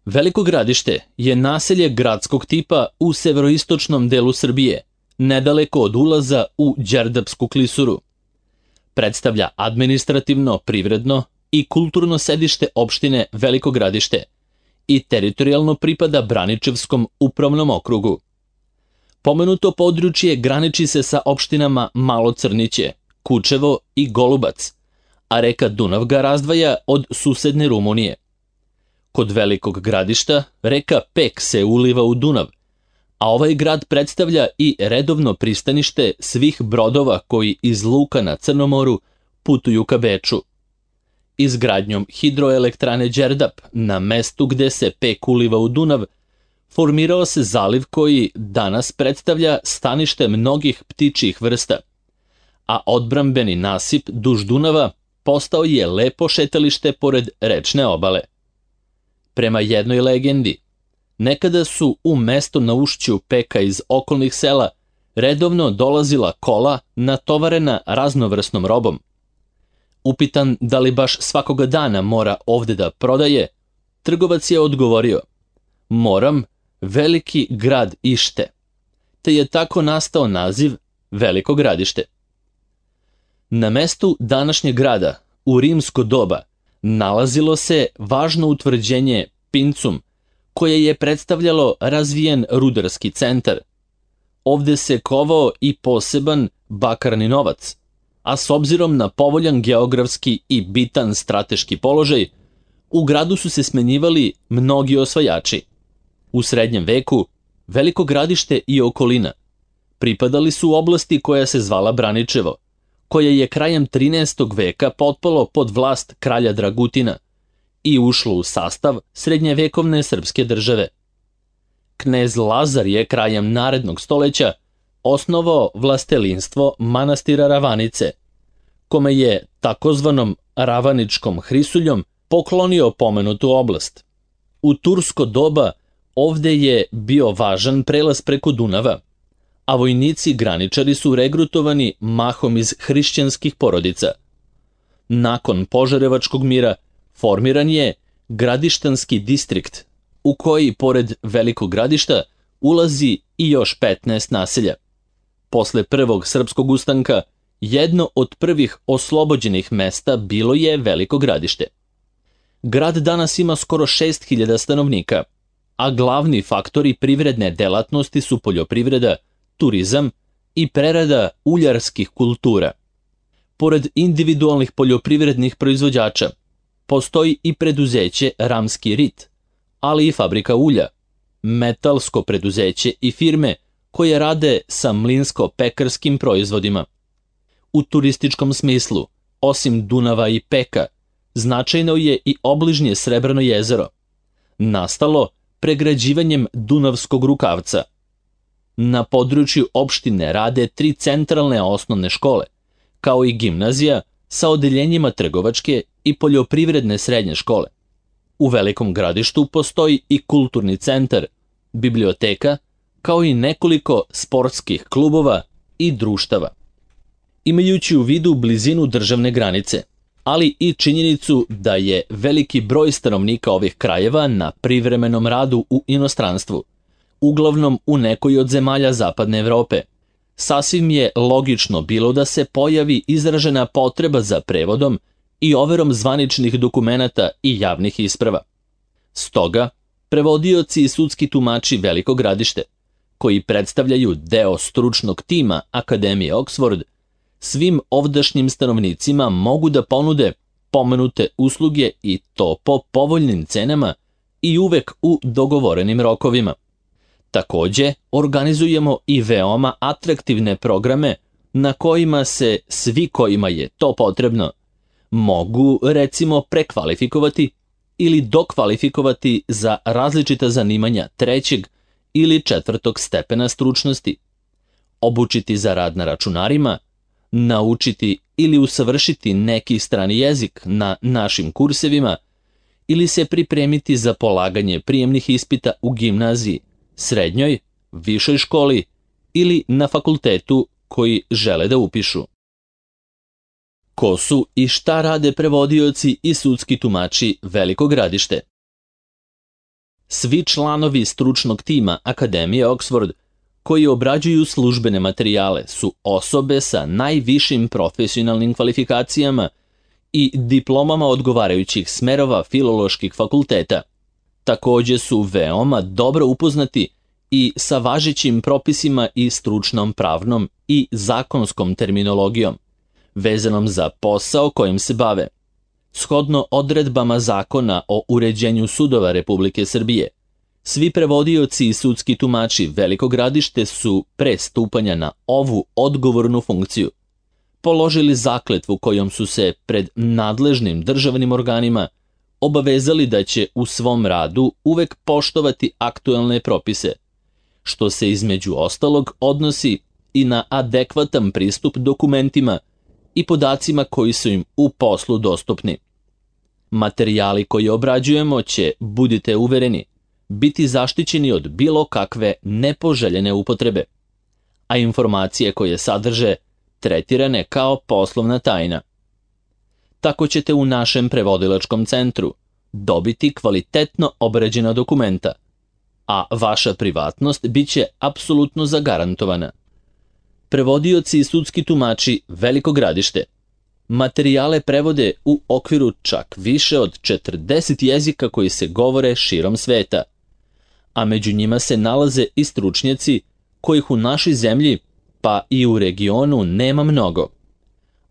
Veliko Gradište je naselje gradskog tipa u severoistočnom delu Srbije, nedaleko od ulaza u Đerdapsku klisuru. Predstavlja administrativno, privredno i kulturno sedište opštine Veliko Gradište i teritorijalno pripada Braničevskom upravnom okrugu. Pomenuto područje graniči se sa opštinama Malo Crniće, Kučevo i Golubac, a reka Dunav ga razdvaja od susedne Rumunije. Kod Velikog Gradišta reka Pek se uliva u Dunav, a ovaj grad predstavlja i redovno pristanište svih brodova koji iz luka na Crnom moru putuju ka Beču. Izgradnjom hidroelektrane Đerdap na mestu gde se Pek uliva u Dunav, formirao se zaliv koji danas predstavlja stanište mnogih ptičjih vrsta, a odbrambeni nasip duž Dunava postao je lepo šetalište pored rečne obale. Prema jednoj legendi, nekada su u mesto na ušću Peka iz okolnih sela redovno dolazila kola natovarena raznovrsnom robom. Upitan da li baš svakoga dana mora ovde da prodaje, trgovac je odgovorio: "Moram, Veliki grad ište", te je tako nastao naziv Veliko Gradište. Na mestu današnjeg grada, u rimsko doba, nalazilo se važno utvrđenje Pincum, koje je predstavljalo razvijen rudarski centar. Ovde se kovao i poseban bakarni novac, a s obzirom na povoljan geografski i bitan strateški položaj, u gradu su se smenjivali mnogi osvajači. U srednjem veku Veliko Gradište i okolina pripadali su oblasti koja se zvala Braničevo, koje je krajem 13. veka potpalo pod vlast kralja Dragutina i ušlo u sastav srednjevekovne srpske države. Knez Lazar je krajem narednog stoleća osnovao vlastelinstvo manastira Ravanice, kome je takozvanom Ravaničkom Hrisuljom poklonio pomenutu oblast. U tursko doba ovde je bio važan prelaz preko Dunava, a vojnici graničari su regrutovani mahom iz hrišćanskih porodica. Nakon Požarevačkog mira formiran je Gradištanski distrikt, u koji, pored Velikog Gradišta, ulazi i još 15 naselja. Posle prvog srpskog ustanka, jedno od prvih oslobođenih mesta bilo je Veliko Gradište. Grad danas ima skoro 6.000 stanovnika, a glavni faktori privredne delatnosti su poljoprivreda, turizam i prerada uljarskih kultura. Pored individualnih poljoprivrednih proizvođača, postoji i preduzeće Ramski rit, ali i fabrika ulja, metalsko preduzeće i firme koje rade sa mlinsko-pekarskim proizvodima. U turističkom smislu, osim Dunava i Peka, značajno je i obližnje Srebrno jezero, nastalo pregrađivanjem Dunavskog rukavca. Na području opštine rade 3 centralne osnovne škole, kao i gimnazija sa odeljenjima trgovačke i poljoprivredne srednje škole. U Velikom Gradištu postoji i kulturni centar, biblioteka, kao i nekoliko sportskih klubova i društava. Imajući u vidu blizinu državne granice, ali i činjenicu da je veliki broj stanovnika ovih krajeva na privremenom radu u inostranstvu, uglavnom u nekoj od zemalja Zapadne Evrope, sasvim je logično bilo da se pojavi izražena potreba za prevodom i overom zvaničnih dokumenata i javnih isprava. Stoga, prevodioci i sudski tumači Veliko Gradište, koji predstavljaju deo stručnog tima Akademije Oxford, svim ovdašnjim stanovnicima mogu da ponude pomenute usluge i to po povoljnim cenama i uvek u dogovorenim rokovima. Takođe, organizujemo i veoma atraktivne programe na kojima se svi kojima je to potrebno mogu, recimo, prekvalifikovati ili dokvalifikovati za različita zanimanja 3. ili 4. stepena stručnosti, obučiti za rad na računarima, naučiti ili usavršiti neki strani jezik na našim kursevima ili se pripremiti za polaganje prijemnih ispita u gimnaziji, srednjoj, višoj školi ili na fakultetu koji žele da upišu. Ko su i šta rade prevodioci i sudski tumači Veliko Gradište? Svi članovi stručnog tima Akademije Oxford koji obrađuju službene materijale su osobe sa najvišim profesionalnim kvalifikacijama i diplomama odgovarajućih smerova filoloških fakulteta. Takođe su veoma dobro upoznati i sa važećim propisima i stručnom pravnom i zakonskom terminologijom, vezanom za posao kojim se bave. Shodno odredbama Zakona o uređenju sudova Republike Srbije, svi prevodioci i sudski tumači Veliko Gradište su pre stupanja na ovu odgovornu funkciju položili zakletvu kojom su se pred nadležnim državnim organima obavezali da će u svom radu uvek poštovati aktuelne propise, što se između ostalog odnosi i na adekvatan pristup dokumentima i podacima koji su im u poslu dostupni. Materijali koje obrađujemo će, budite uvereni, biti zaštićeni od bilo kakve nepoželjene upotrebe, a informacije koje sadrže tretirane kao poslovna tajna. Tako ćete u našem prevodilačkom centru dobiti kvalitetno obrađena dokumenta, a vaša privatnost bit će apsolutno zagarantovana. Prevodioci i sudski tumači Veliko Gradište materijale prevode u okviru čak više od 40 jezika koji se govore širom sveta, a među njima se nalaze i stručnjaci kojih u našoj zemlji pa i u regionu nema mnogo,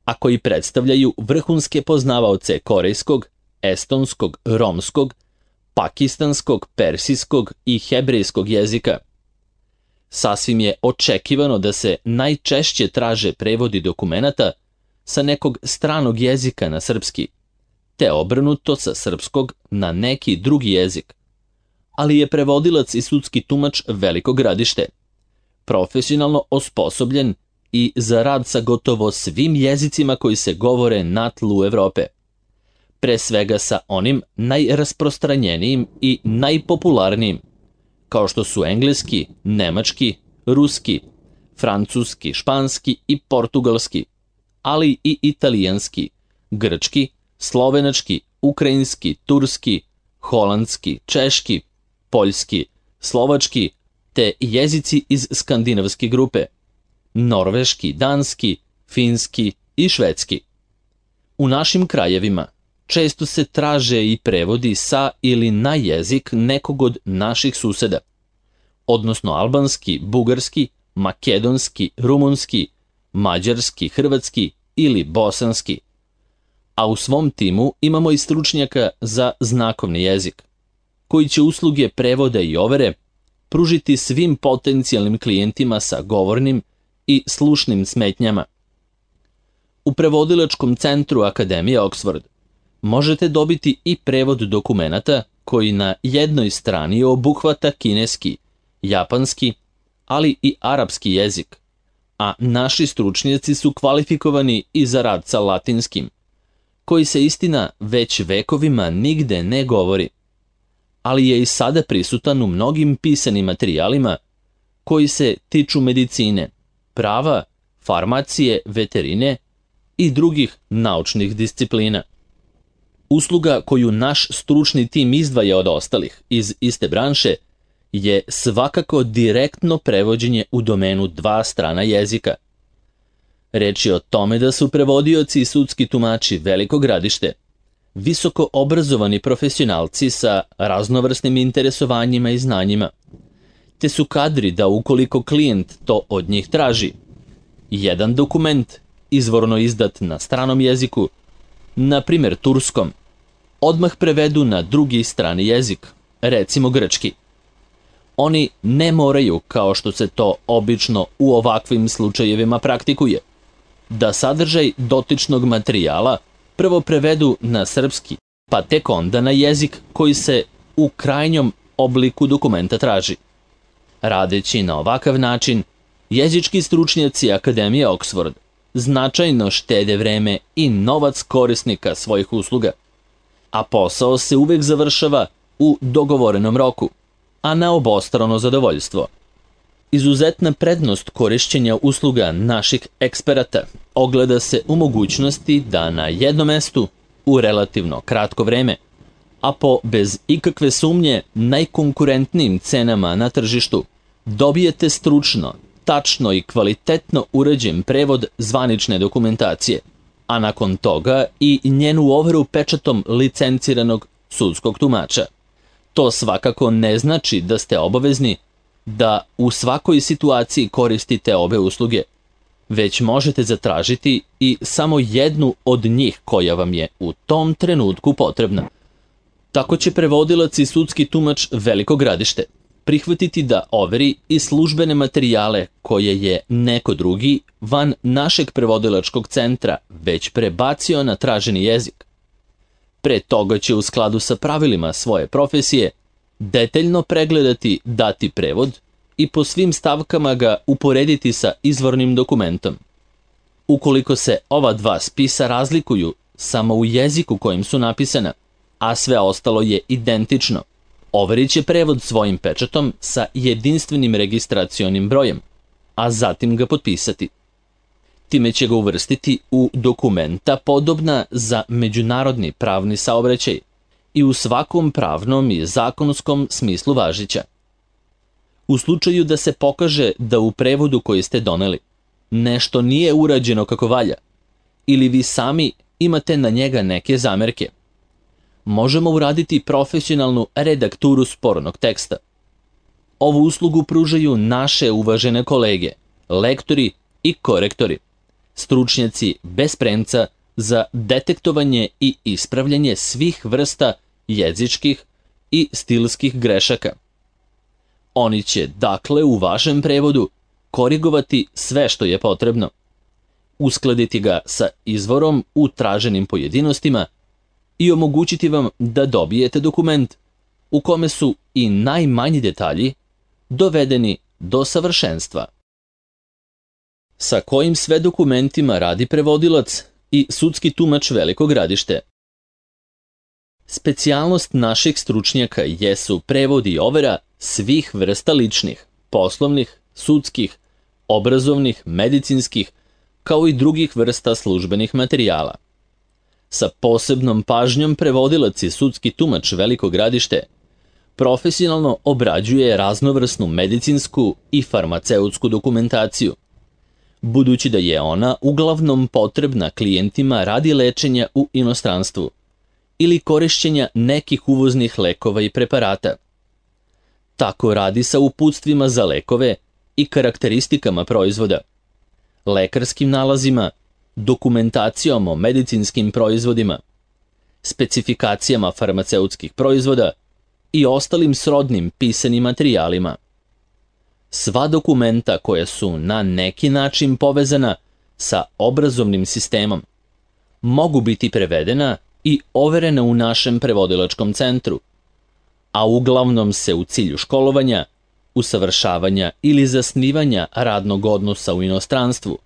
a koji predstavljaju vrhunske poznavaoce korejskog, estonskog, romskog, pakistanskog, persijskog i hebrejskog jezika. Sasvim je očekivano da se najčešće traže prevodi dokumenata sa nekog stranog jezika na srpski, te obrnuto sa srpskog na neki drugi jezik. Ali je prevodilac i sudski tumač Veliko Gradište profesionalno osposobljen i za rad sa gotovo svim jezicima koji se govore na tlu Evrope. Pre svega sa onim najrasprostranjenijim i najpopularnijim, kao što su engleski, nemački, ruski, francuski, španski i portugalski, ali i italijanski, grčki, slovenački, ukrajinski, turski, holandski, češki, poljski, slovački, te jezici iz skandinavske grupe, norveški, danski, finski i švedski. U našim krajevima često se traže i prevodi sa ili na jezik nekog od naših suseda, odnosno albanski, bugarski, makedonski, rumunski, mađarski, hrvatski ili bosanski. A u svom timu imamo i stručnjaka za znakovni jezik, koji će usluge prevoda i overe pružiti svim potencijalnim klijentima sa govornim i slušnim smetnjama. U prevodilačkom centru Akademije Oxford možete dobiti i prevod dokumenata koji na jednoj strani obuhvata kineski, japanski, ali i arapski jezik, a naši stručnjaci su kvalifikovani i za rad sa latinskim, koji se istina već vekovima nigde ne govori, ali je i sada prisutan u mnogim pisanim materijalima koji se tiču medicine, prava, farmacije, veterine i drugih naučnih disciplina. Usluga koju naš stručni tim izdvaja od ostalih iz iste branše je svakako direktno prevođenje u domenu dva strana jezika. Reč je o tome da su prevodioci i sudski tumači Veliko Gradište visoko obrazovani profesionalci sa raznovrsnim interesovanjima i znanjima, te su kadri da ukoliko klijent to od njih traži, jedan dokument izvorno izdat na stranom jeziku, na primjer turskom, odmah prevedu na drugi strani jezik, recimo grčki. Oni ne moraju, kao što se to obično u ovakvim slučajevima praktikuje, da sadržaj dotičnog materijala prvo prevedu na srpski, pa tek onda na jezik koji se u krajnjom obliku dokumenta traži. Radeći na ovakav način, jezički stručnjaci Akademije Oxford značajno štede vreme i novac korisnika svojih usluga, a posao se uvek završava u dogovorenom roku, a na obostrano zadovoljstvo. Izuzetna prednost korišćenja usluga naših eksperata ogleda se u mogućnosti da na jednom mestu, u relativno kratko vreme, a po bez ikakve sumnje najkonkurentnijim cenama na tržištu, dobijete stručno, tačno i kvalitetno urađen prevod zvanične dokumentacije, a nakon toga i njenu overu pečatom licenciranog sudskog tumača. To svakako ne znači da ste obavezni da u svakoj situaciji koristite obe usluge, već možete zatražiti i samo jednu od njih koja vam je u tom trenutku potrebna. Tako će prevodilac i sudski tumač Veliko Gradište prihvatiti da overi i službene materijale koje je neko drugi van našeg prevodilačkog centra već prebacio na traženi jezik. Pre toga će u skladu sa pravilima svoje profesije detaljno pregledati dati prevod i po svim stavkama ga uporediti sa izvornim dokumentom. Ukoliko se ova dva spisa razlikuju samo u jeziku kojim su napisana, a sve ostalo je identično, overit će prevod svojim pečatom sa jedinstvenim registracionim brojem, a zatim ga potpisati. Time će ga uvrstiti u dokumenta podobna za međunarodni pravni saobraćaj i u svakom pravnom i zakonskom smislu važića. U slučaju da se pokaže da u prevodu koji ste doneli nešto nije urađeno kako valja ili vi sami imate na njega neke zamerke, možemo uraditi profesionalnu redakturu spornog teksta. Ovu uslugu pružaju naše uvažene kolege, lektori i korektori, stručnjaci bez premca za detektovanje i ispravljanje svih vrsta jezičkih i stilskih grešaka. Oni će, dakle, u vašem prevodu korigovati sve što je potrebno, uskladiti ga sa izvorom u traženim pojedinostima i omogućiti vam da dobijete dokument u kome su i najmanji detalji dovedeni do savršenstva. Sa kojim sve dokumentima radi prevodilac i sudski tumač Veliko Gradište? Specijalnost naših stručnjaka jesu prevod i overa svih vrsta ličnih, poslovnih, sudskih, obrazovnih, medicinskih, kao i drugih vrsta službenih materijala. Sa posebnom pažnjom prevodilac i sudski tumač Veliko Gradište profesionalno obrađuje raznovrsnu medicinsku i farmaceutsku dokumentaciju, budući da je ona uglavnom potrebna klijentima radi lečenja u inostranstvu ili korišćenja nekih uvoznih lekova i preparata. Tako radi sa uputstvima za lekove i karakteristikama proizvoda, lekarskim nalazima, dokumentacijom o medicinskim proizvodima, specifikacijama farmaceutskih proizvoda i ostalim srodnim pisanim materijalima. Sva dokumenta koja su na neki način povezana sa obrazovnim sistemom mogu biti prevedena i overena u našem prevodilačkom centru, a uglavnom se u cilju školovanja, usavršavanja ili zasnivanja radnog odnosa u inostranstvu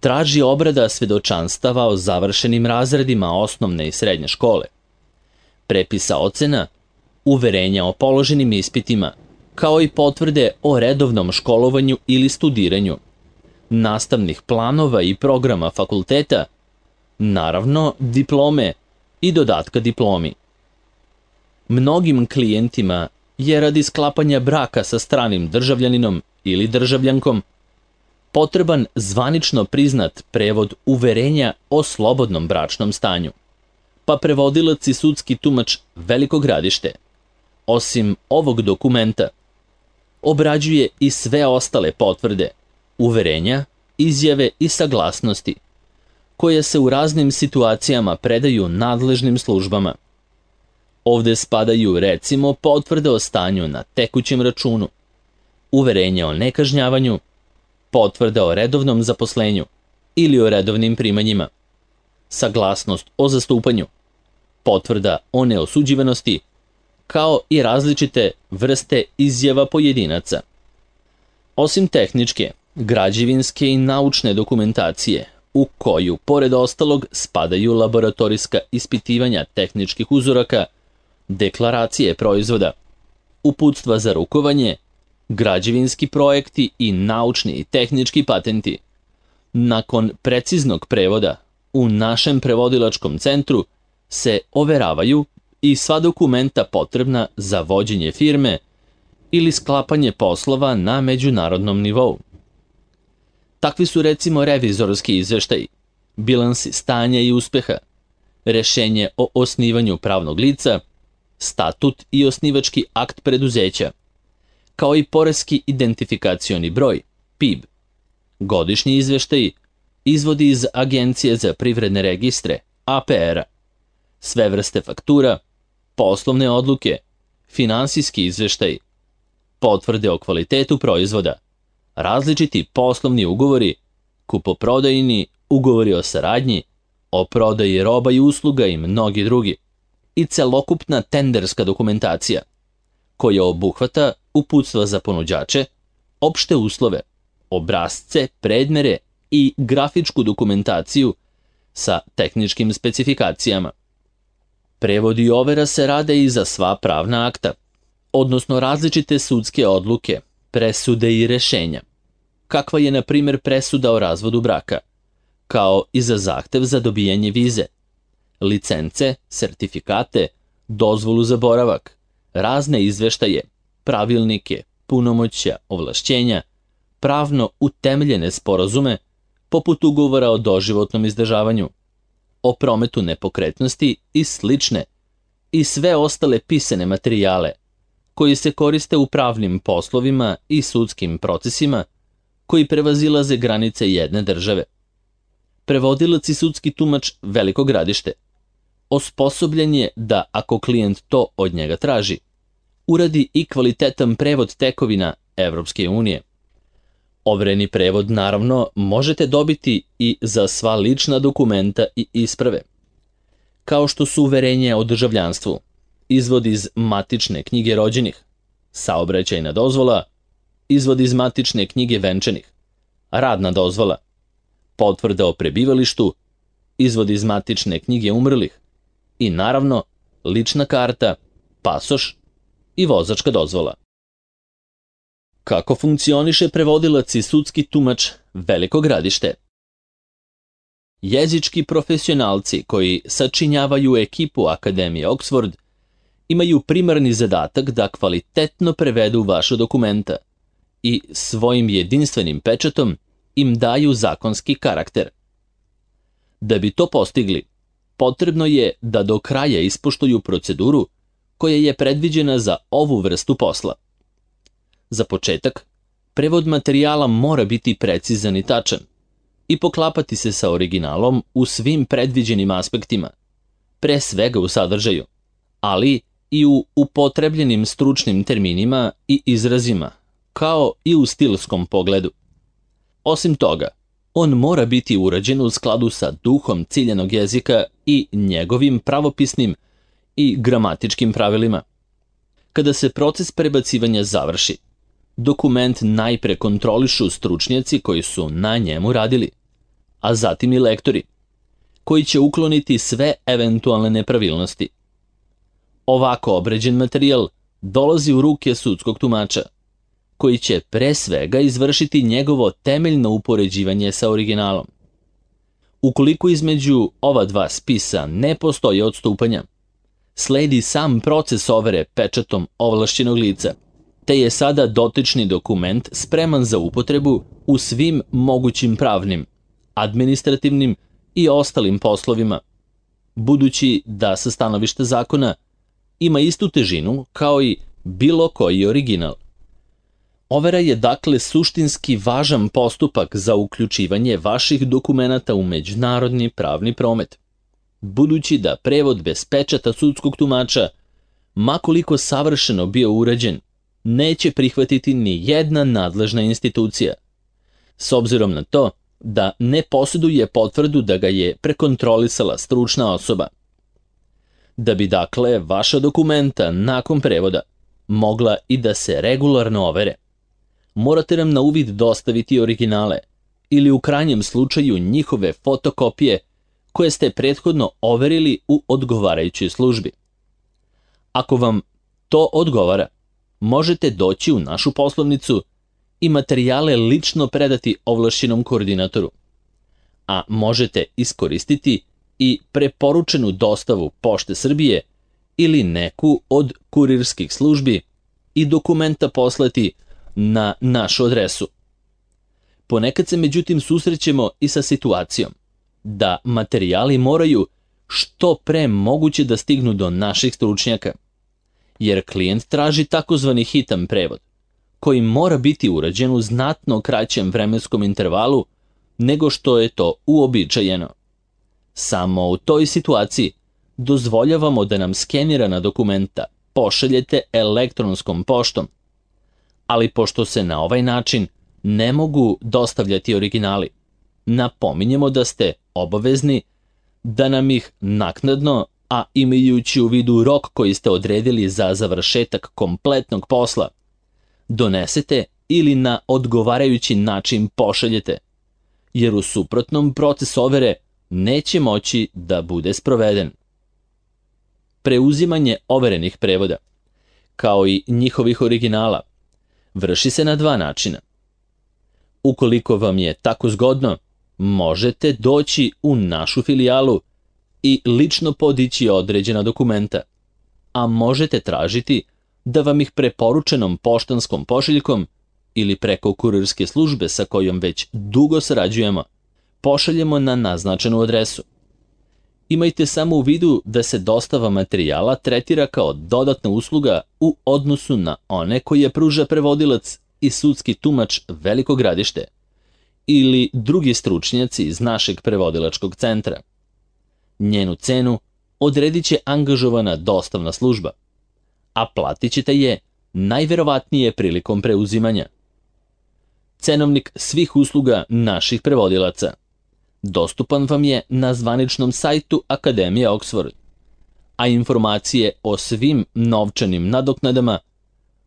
traži obrada svedočanstava o završenim razredima osnovne i srednje škole, prepisa ocena, uverenja o položenim ispitima, kao i potvrde o redovnom školovanju ili studiranju, nastavnih planova i programa fakulteta, naravno diplome i dodatka diplomi. Mnogim klijentima je radi sklapanja braka sa stranim državljaninom ili državljankom potreban zvanično priznat prevod uverenja o slobodnom bračnom stanju, pa prevodilac i sudski tumač Veliko Gradište, osim ovog dokumenta, obrađuje i sve ostale potvrde, uverenja, izjave i saglasnosti, koje se u raznim situacijama predaju nadležnim službama. Ovde spadaju recimo potvrde o stanju na tekućem računu, uverenje o nekažnjavanju, potvrda o redovnom zaposlenju ili o redovnim primanjima, saglasnost o zastupanju, potvrda o neosuđivanosti, kao i različite vrste izjava pojedinaca. Osim tehničke, građevinske i naučne dokumentacije, u koju, pored ostalog, spadaju laboratorijska ispitivanja tehničkih uzoraka, deklaracije proizvoda, uputstva za rukovanje, građevinski projekti i naučni i tehnički patenti. Nakon preciznog prevoda, u našem prevodilačkom centru se overavaju i sva dokumenta potrebna za vođenje firme ili sklapanje poslova na međunarodnom nivou. Takvi su recimo revizorski izveštaji, bilansi stanja i uspeha, rešenje o osnivanju pravnog lica, statut i osnivački akt preduzeća, kao i poreski identifikacioni broj, PIB, godišnji izveštaji, izvodi iz Agencije za privredne registre, APR-a, sve vrste faktura, poslovne odluke, finansijski izveštaji, potvrde o kvalitetu proizvoda, različiti poslovni ugovori, kupoprodajni ugovori o saradnji, o prodaji roba i usluga i mnogi drugi, i celokupna tenderska dokumentacija, koja obuhvata uputstva za ponuđače, opšte uslove, obrasce, predmere i grafičku dokumentaciju sa tehničkim specifikacijama. Prevod i overa se rade i za sva pravna akta, odnosno različite sudske odluke, presude i rešenja, kakva je na primjer presuda o razvodu braka, kao i za zahtev za dobijanje vize, licence, sertifikate, dozvolu za boravak, razne izveštaje, pravilnike, punomoćja, ovlašćenja, pravno utemeljene sporazume, poput ugovora o doživotnom izdržavanju, o prometu nepokretnosti i slične, i sve ostale pisane materijale, koji se koriste u pravnim poslovima i sudskim procesima, koji prevazilaze granice jedne države. Prevodilac i sudski tumač Veliko Gradište osposobljen je da, ako klijent to od njega traži, uradi i kvalitetan prevod tekovina Evropske unije. Overeni prevod, naravno, možete dobiti i za sva lična dokumenta i isprave, kao što su uverenje o državljanstvu, izvod iz matične knjige rođenih, saobraćajna dozvola, izvod iz matične knjige venčanih, radna dozvola, potvrda o prebivalištu, izvod iz matične knjige umrlih i, naravno, lična karta, pasoš i vozačka dozvola. Kako funkcioniše prevodilac i sudski tumač Veliko Gradište? Jezički profesionalci koji sačinjavaju ekipu Akademije Oxford imaju primarni zadatak da kvalitetno prevedu vaša dokumenta i svojim jedinstvenim pečatom im daju zakonski karakter. Da bi to postigli, potrebno je da do kraja ispoštuju proceduru koja je predviđena za ovu vrstu posla. Za početak, prevod materijala mora biti precizan i tačan i poklapati se sa originalom u svim predviđenim aspektima, pre svega u sadržaju, ali i u upotrebljenim stručnim terminima i izrazima, kao i u stilskom pogledu. Osim toga, on mora biti urađen u skladu sa duhom ciljanog jezika i njegovim pravopisnim i gramatičkim pravilima. Kada se proces prebacivanja završi, dokument najpre kontrolišu stručnjaci koji su na njemu radili, a zatim i lektori, koji će ukloniti sve eventualne nepravilnosti. Ovako obređen materijal dolazi u ruke sudskog tumača, koji će pre svega izvršiti njegovo temeljno upoređivanje sa originalom. Ukoliko između ova dva spisa ne postoje odstupanja, sledi sam proces overe pečatom ovlašćenog lica, te je sada dotični dokument spreman za upotrebu u svim mogućim pravnim, administrativnim i ostalim poslovima, budući da sa stanovišta zakona ima istu težinu kao i bilo koji original. Overa je dakle suštinski važan postupak za uključivanje vaših dokumenata u međunarodni pravni promet, budući da prevod bez pečata sudskog tumača, makoliko savršeno bio urađen, neće prihvatiti ni jedna nadležna institucija, s obzirom na to da ne posjeduje potvrdu da ga je prekontrolisala stručna osoba. Da bi dakle vaša dokumenta nakon prevoda mogla i da se regularno overe, morate nam na uvid dostaviti originale ili u krajnjem slučaju njihove fotokopije koje ste prethodno overili u odgovarajućoj službi. Ako vam to odgovara, možete doći u našu poslovnicu i materijale lično predati ovlašćenom koordinatoru, a možete iskoristiti i preporučenu dostavu Pošte Srbije ili neku od kurirskih službi i dokumenta poslati na našu adresu. Ponekad se međutim susrećemo i sa situacijom da materijali moraju što pre moguće da stignu do naših stručnjaka, jer klijent traži takozvani hitan prevod, koji mora biti urađen u znatno kraćem vremenskom intervalu nego što je to uobičajeno. Samo u toj situaciji dozvoljavamo da nam skenirana dokumenta pošaljete elektronskom poštom, ali pošto se na ovaj način ne mogu dostavljati originali, napominjemo da ste obavezni da nam ih naknadno, a imajući u vidu rok koji ste odredili za završetak kompletnog posla, donesete ili na odgovarajući način pošaljete, jer u suprotnom proces overe neće moći da bude sproveden. Preuzimanje overenih prevoda, kao i njihovih originala, vrši se na dva načina. Ukoliko vam je tako zgodno, možete doći u našu filijalu i lično podići određena dokumenta, a možete tražiti da vam ih preporučenom poštanskom pošiljkom ili preko kurirske službe sa kojom već dugo sarađujemo, pošaljemo na naznačenu adresu. Imajte samo u vidu da se dostava materijala tretira kao dodatna usluga u odnosu na one koje pruža prevodilac i sudski tumač Veliko Gradište ili drugi stručnjaci iz našeg prevodilačkog centra. Njenu cenu odredit će angažovana dostavna služba, a platit ćete je najverovatnije prilikom preuzimanja. Cenovnik svih usluga naših prevodilaca dostupan vam je na zvaničnom sajtu Akademije Oxford, a informacije o svim novčanim nadoknadama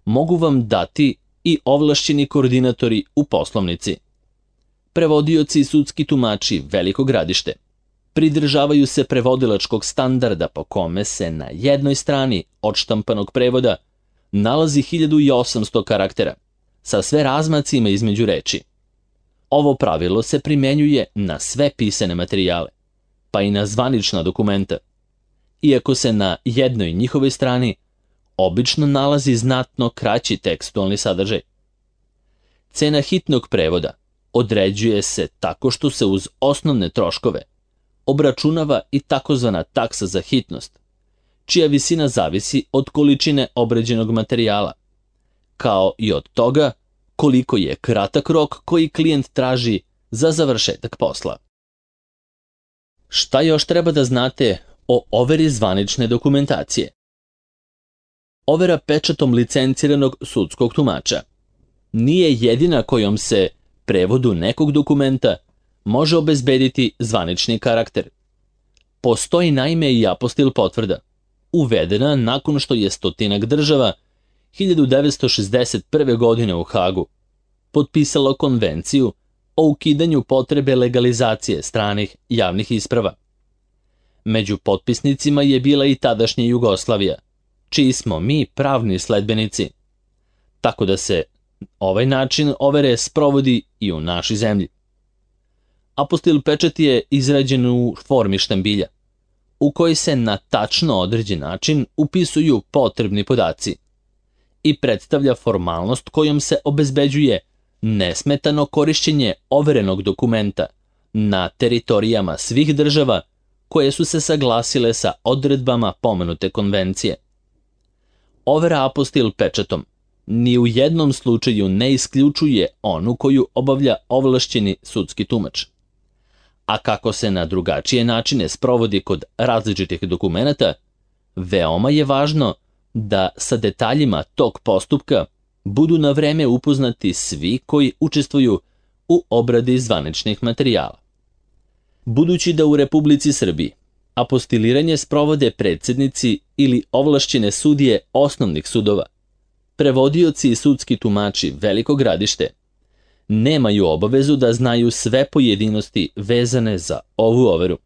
mogu vam dati i ovlašćeni koordinatori u poslovnici. Prevodioci i sudski tumači Veliko Gradište pridržavaju se prevodilačkog standarda po kome se na jednoj strani odštampanog prevoda nalazi 1800 karaktera sa sve razmacima između reči. Ovo pravilo se primenjuje na sve pisane materijale, pa i na zvanična dokumenta, iako se na jednoj njihovoj strani obično nalazi znatno kraći tekstualni sadržaj. Cena hitnog prevoda određuje se tako što se uz osnovne troškove obračunava i takozvana taksa za hitnost, čija visina zavisi od količine obrađenog materijala, kao i od toga koliko je kratak rok koji klijent traži za završetak posla. Šta još treba da znate o overi zvanične dokumentacije? Overa pečatom licenciranog sudskog tumača nije jedina kojom se prevodu nekog dokumenta može obezbediti zvanični karakter. Postoji naime i apostil potvrda, uvedena nakon što je 100 država 1961. godine u Hagu potpisalo konvenciju o ukidanju potrebe legalizacije stranih javnih isprava. Među potpisnicima je bila i tadašnja Jugoslavija, čiji smo mi pravni sledbenici, tako da se ovaj način overe sprovodi i u našoj zemlji. Apostil pečat je izrađen u formi štambilja, u kojoj se na tačno određen način upisuju potrebni podaci i predstavlja formalnost kojom se obezbeđuje nesmetano korišćenje overenog dokumenta na teritorijama svih država koje su se saglasile sa odredbama pomenute konvencije. Overa apostil pečatom ni u jednom slučaju ne isključuje onu koju obavlja ovlašćeni sudski tumač. A kako se na drugačije načine sprovodi kod različitih dokumenata, veoma je važno da sa detaljima tog postupka budu na vreme upoznati svi koji učestvuju u obradi zvaničnih materijala. Budući da u Republici Srbiji apostiliranje sprovode predsednici ili ovlašćene sudije osnovnih sudova, prevodioci i sudski tumači Veliko Gradište nemaju obavezu da znaju sve pojedinosti vezane za ovu overu.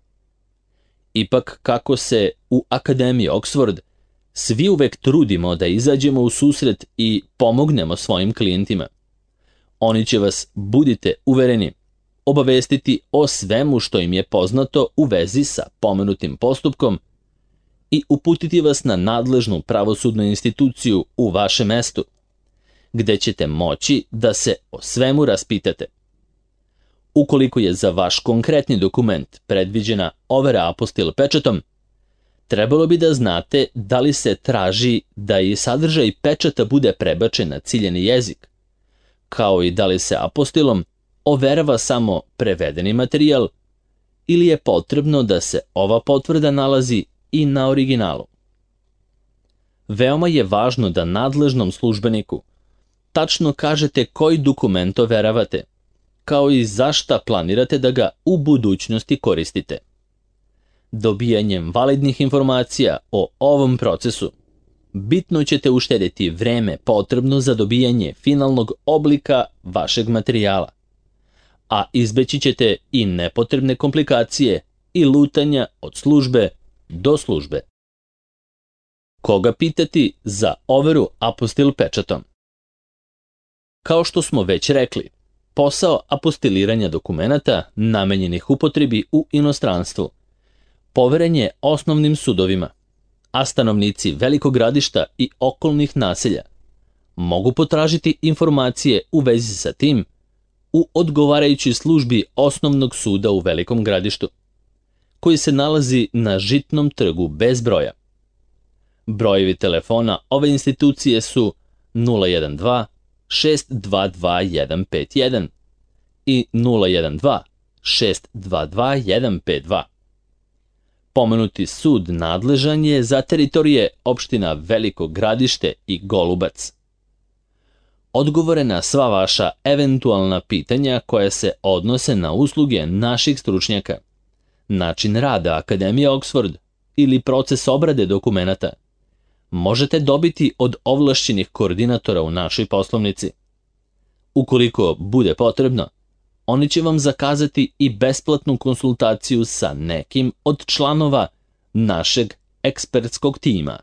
Ipak, kako se u Akademiji Oxford svi uvek trudimo da izađemo u susret i pomognemo svojim klijentima, oni će vas, budite uvereni, obavestiti o svemu što im je poznato u vezi sa pomenutim postupkom i uputiti vas na nadležnu pravosudnu instituciju u vašem mestu, gde ćete moći da se o svemu raspitate. Ukoliko je za vaš konkretni dokument predviđena overa apostil pečatom, trebalo bi da znate da li se traži da i sadržaj pečata bude prebačen na ciljeni jezik, kao i da li se apostilom overava samo prevedeni materijal ili je potrebno da se ova potvrda nalazi i na originalu. Veoma je važno da nadležnom službeniku tačno kažete koji dokument overavate, kao i za šta planirate da ga u budućnosti koristite. Dobijanjem validnih informacija o ovom procesu, bitno ćete uštedeti vreme potrebno za dobijanje finalnog oblika vašeg materijala, a izbeći ćete i nepotrebne komplikacije i lutanja od službe do službe. Koga pitati za overu apostil pečatom? Kao što smo već rekli, posao apostiliranja dokumenata namenjenih upotrebi u inostranstvu poveren je osnovnim sudovima, a stanovnici Velikog Gradišta i okolnih naselja mogu potražiti informacije u vezi sa tim u odgovarajućoj službi Osnovnog suda u Velikom Gradištu, koji se nalazi na Žitnom trgu bez broja. Brojevi telefona ove institucije su 012 622 151 i 012 622 152. Pomenuti sud nadležan je za teritorije opština Veliko Gradište i Golubac. Odgovore na sva vaša eventualna pitanja koja se odnose na usluge naših stručnjaka, način rada Akademije Oxford ili proces obrade dokumenata, možete dobiti od ovlašćenih koordinatora u našoj poslovnici. Ukoliko bude potrebno, oni će vam zakazati i besplatnu konsultaciju sa nekim od članova našeg ekspertskog tima.